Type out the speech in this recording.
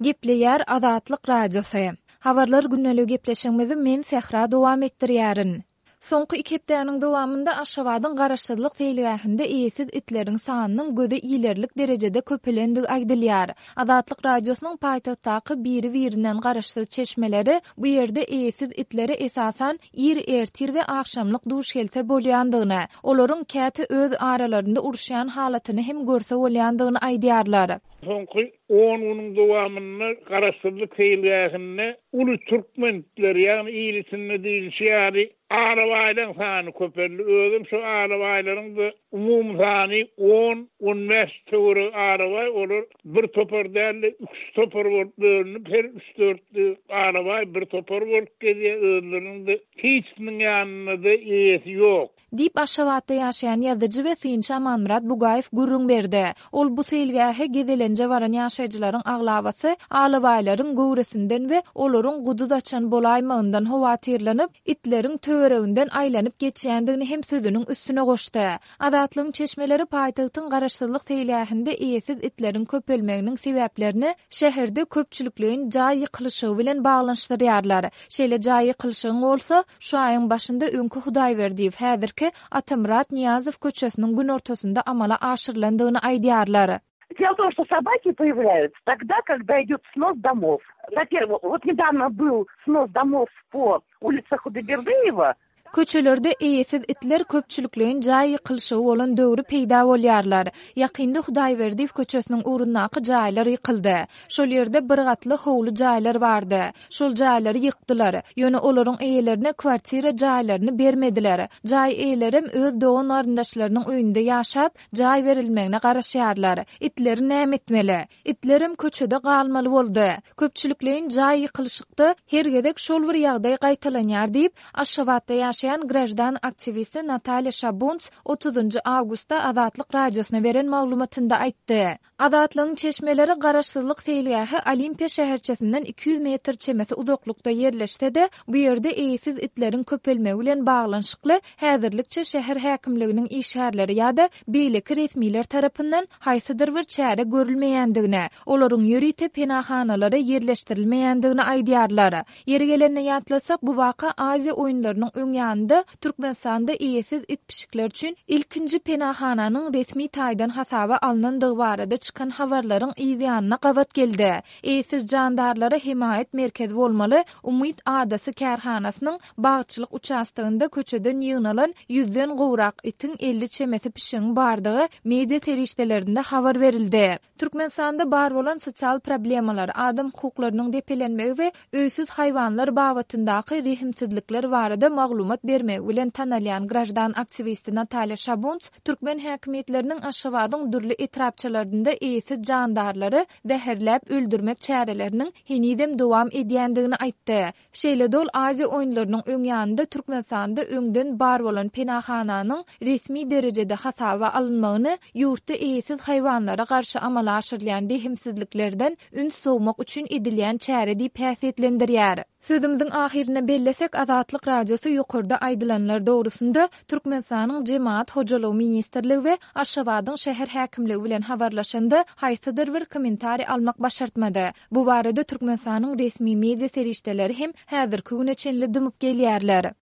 Gepleýär Azatlyk Radiosy. Habarlar gündeligi gepleşigimizi men Sähra dowam etdirýärin. Soňky iki hepdäniň dowamynda Aşgabadyň Garaşsyzlyk seýilgähinde eýesiz itleriň sanynyň göze ilerlik derejede köpelendigi aýdylýar. Azatlyk Radiosynyň paýtagtdaky biri-birinden garaşsyz çeşmeleri bu ýerde eýesiz itlere esasan ir ertir we agşamlyk duş gelse bolýandygyny, olaryň käte öz aralarynda uruşýan halatyny hem görse bolýandygyny aýdýarlar. Soňky on günüň dowamynda Garaşsyzlyk seýilgähinde uly türkmen itleri, ýagny il içinde diýlişi ýaly, alabaýlaryň sany köpeldi. Özem şo alabaýlaryň-da umumy sany on, on bäş töweregi alabaý, olar bir topar däl-de, üç topar bolup bölünip, her üç-dört alabaý bir topar bolup gezýär, özleriniň-de hiçisiniň ýanynda-da eýesi ýok. Diýip, Aşgabatda ýaşaýan ýazyjy we synçy Amanmyrat Bugaýew gürrüň berdi. Ol bu seýilgähe gezelenje baran ýaşaýjylaryň aglabasy alabaýlaryň göwresinden we olaryň guduz açan bolaýmagyndan howatyrlanyp, itleriň töwereginden aýlanyp geçýändigini hem sözüniň üstüne goşdy. Azatlygyň çeşmeleri paýtagtyň Garaşsyzlyk seýilgähinde eýesiz itleriň köpelmeginiň sebäplerini şäherde köpçülikleýin jaý ýykylyşygy bilen baglanyşdyrýarlar. Şeýle jaý ýykylyşygyň bolsa, Şu aýyň başynda öňki Hudaýberdiýew, häzirki Atamyrat Nyýazow köçesiniň günortasynda amala aşyrylandygyny aýdýarlar. Дело в том, что собаки появляются тогда, когда идет снос домов. Во-первых, вот недавно был снос домов по улице Худайбердыева. Köçelerde eýesiz itler köpçülikleýin jaý ýykylyşygy bolan döwri peýda bolýarlar. Ýakynda Hudaýberdiýew köçesiniň ugrundaky jaýlar ýykyldy. Şol ýerde bir gatly howly jaýlar bardy. Şol jaýlary ýykdylar. Ýöne olaryň eýelerine kwartira jaýlaryny bermediler. Jaý eýelerem öz dogan-garyndaşlarynyň öýünde ýaşap, jaý berilmegine garaşýarlar. Itleri näme etmeli? Itlerem köçede galmaly boldy. Köpçülikleýin jaý ýykylyşykda her gezek şol bir ýagdaý gaýtalanýar diýip, Aşgabatda ýaşaýan graždan aktiwisti Natalýa Şabunts otuzynjy awgustda Azatlyk Radiosyna beren maglumatynda aýtdy. Azatlygyň çeşmeleri Garaşsyzlyk seýilgähi Olimpiýa şäherçesinden 200 metr çemesi uzaklykda ýerleşse-de, bu ýerde eýesiz itleriň köpelmegi bilen baglanyşykly häzirlikçe şäher häkimliginiň işgärleri ýa-da beýleki resmiler tarapyndan haýsydyr bir çäre görülmeýändigini, olaryň ýörite penahanalara ýerleşdirilmeýändigini aýdýarlar. Ýeri gelende ýatlasak, bu waka Aziýa oýunlarynyň öň ýanynda Türkmenistanda eýesiz it-pişikler üçin ilkinji penahananyň resmi taýdan hasaba alnandygy barada çykan habarlaryň yz ýanyna gabat geldi. Eýesiz jandarlara hemaýat merkezi bolmaly Umyt adasy kärhanasynyň bagçylyk uçastogynda köçeden ýygnalan ýüzden gowrak itiň 50 çemesi pişigiň bardygy media serişdelerinde habar berildi. Türkmenistanda bar bolan sosial problemalar, adam hukuklarynyň depelenmegi we öýsüz haýwanlar babatyndaky rehimsizlikler barada maglumat bermegi bilen tanalýan graždan aktiwisti Natalýa Şabunts türkmen häkimiýetleriniň Aşgabadyň dürli etrapçalarynda eýesiz jandarlary zäherläp öldürmek çäreleriniň henizem dowam edýändigini aýtdy. Şeýle-de ol Aziýa oýunlarynyň öň ýanynda Türkmenistanda öňden bar bolan penahananyň resmi derejede hasaba alynmagyny ýurtda eýesiz haýwanlara garşy amala aşyrylýan rehimsizliklerden üns sowmak üçin edilýän çäre diýip häsiýetlendirýär. Sözümiziň ahyrynda bellesek, Azatlyk Radiosy ýokarda aýdylanlar dogrusynda Türkmenistanyň Jemagat hojalygy ministrligi we Aşgabadyň şäher häkimligi bilen habarlaşanda haýsydyr bir kommentariý almak başartmady. Bu barada Türkmenistanyň resmi media serişdeleri hem häzirki güne çenli dymyp gelýärler.